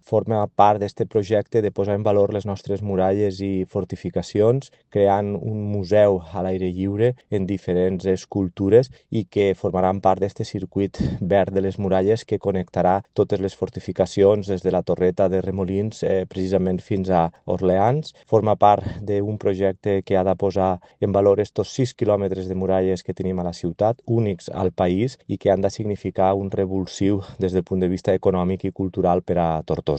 forma part d'aquest projecte de posar en valor les nostres muralles i fortificacions, creant un museu a l'aire lliure en diferents escultures i que formaran part d'aquest circuit verd de les muralles que connectarà totes les fortificacions des de la torreta de Remolins precisament fins a Orleans. Forma part d'un projecte que ha de posar en valor estos 6 quilòmetres de muralles que tenim a la ciutat, únics al país i que han de significar un revulsiu des del punt de vista econòmic i cultural per a Tortosa.